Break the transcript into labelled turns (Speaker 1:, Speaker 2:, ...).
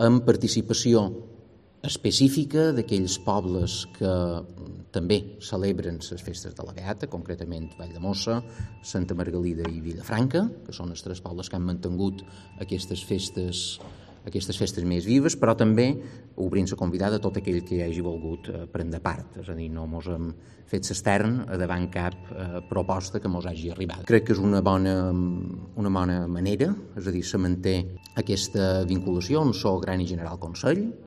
Speaker 1: amb participació específica d'aquells pobles que també celebren les festes de la Beata, concretament Valldemossa, Santa Margalida i Vilafranca, que són els tres pobles que han mantingut aquestes festes més vives, però també obrint-se convidada a tot aquell que hi hagi volgut prendre part, és a dir, no mos hem fet s'estern a davant cap proposta que mos hagi arribat. Crec que és una bona manera, és a dir, se manté aquesta vinculació, un sol gran i general Consell,